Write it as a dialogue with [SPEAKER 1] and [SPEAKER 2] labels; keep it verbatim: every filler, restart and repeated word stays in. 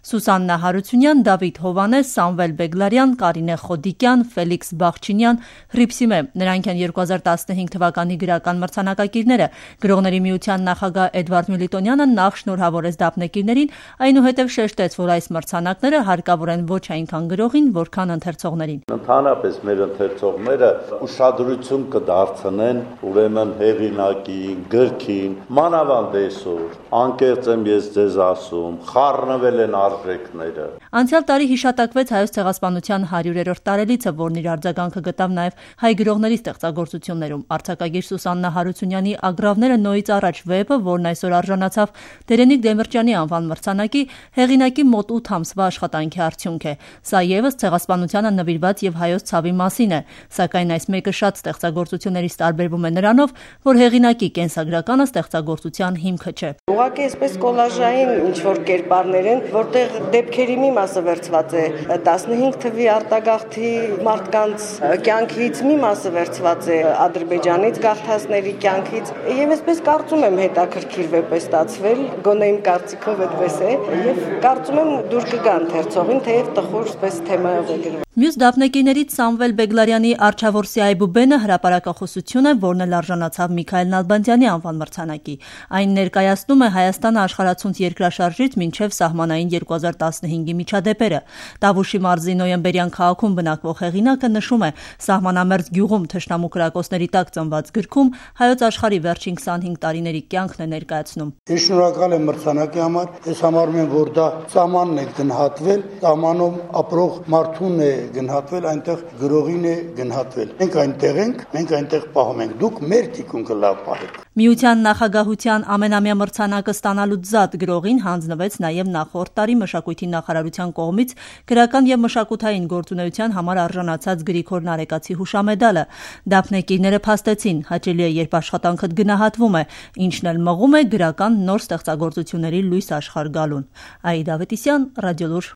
[SPEAKER 1] Սուսաննա Հարությունյան, Դավիթ Հովանես, Սամվել Բեգլարյան, Կարինե Խոդիկյան, Ֆելիքս Բաղչինյան, Հրիփսիմե։ Նրանք են երկու հազար տասնհինգ թվականի գրական մրցանակակիրները։ Գրողների միության նախագահ Էդվարդ Միլիտոնյանը նախ շնորհավորեց դափնեկիրներին, այնուհետև շեշտեց, որ այս մրցանակները հարկավոր են ոչ այնքան գրողին, որքան ընթերցողներին։
[SPEAKER 2] Ընդհանրապես մեր ընթերցողները ուշադրություն կդարձնեն ուրեմն հեղինակին, գրքին, մանավանդ այսօր, անկեղծ եմ ես ձեզ ասում, խառնվել են արժեքները։
[SPEAKER 1] Անցյալ տարի հիշատակվեց Հայոց ցեղասպանության հարյուրերորդ տարելիցը, որն իր արձագանքը գտավ նաև հայ գրողների ստեղծագործություններում։ Արձակագիր Սուսաննա Հարությունյանի «Ագռավները Նոյից առաջ» վեպը, որն այսօր արժանացավ Տերենիկ Դեմիրճյանի անվան մրցանակի, հեղինակի մոտ ութ ամսվա աշխատանքի արդյունք է։ Սա ևս ցեղասպանությանը նվիրված եւ հայոց ցավի մասին է, սակայն այս մեկը շատ ստեղծագործություններից տարբերվում է նրանով, որ հեղինակի կենսագրականը ստեղծագործության հիմքը չէ։
[SPEAKER 3] Ուղղակի այսպես կոլաժային ինչ-որ կերպարներ են, որտեղ դեպքերի մի մասը վերցված է տասնհինգ թվի արտագաղթի մարդկանց կյանքից, մի մասը վերցված է Ադրբեջանից գաղթածների կյանքից, եւ այսպես կարծում եմ հետաքրքիր վեպ է ստացվել, գոնե իմ կարծիքով այդպես է, եւ կարծում եմ դուր կգա ընթերցողին, թեև տխուր այսպես թեմայով է գրված։
[SPEAKER 1] Մյուս դափնեկիրներից Սամվել Բեգլարյանի «Արչավորսի այբուբենը» հրապարակախոսություն է, որն էլ արժանացավ Միքայել Նալբանդյանի անվան մրցանակի։ Այն ներկայացնում է Հայաստանը աշխարհացունց երկրաշարժից մինչև սահմանային երկու հազար տասնհինգի միջադեպերը։ Տավուշի մարզի Նոյեմբերյան քաղաքում բնակվող հեղինակը նշում է, սահմանամերձ գյուղում թշնամու կրակոցների տակ ծնված գրքում հայոց աշխարհի վերջին քսանհինգ տարիների կյանքն է ներկայացնում։
[SPEAKER 4] Ես շնորհակալ եմ մրցանակի համար, ես համարում եմ, որ դա սահմանն է գնահատվել, սահմանում ապրող մարդուն է գնահատվել, այնտեղ գրողին է գնահատվել։ Մենք այնտեղ ենք, մենք այնտեղ պահում ենք, դուք մեր թիկունքը լավ պահեք։
[SPEAKER 1] Միության նախագահության ամենամյա մրցանակը ստանալուց զատ գրողին հանձնվեց նաև նախորդ տարի մշակույթի նախարարության կողմից գրական եւ մշակութային գործունեության համար արժանացած Գրիգոր Նարեկացի հուշամեդալը։ Դափնեկիրները փաստեցին, հաճելի է, երբ աշխատանքդ գնահատվում է, ինչն էլ մղում է գրական նոր ստեղծագործությունների լույս աշխարհ գալուն։ Աիդա Ավետիսյան, Ռադիոլուր։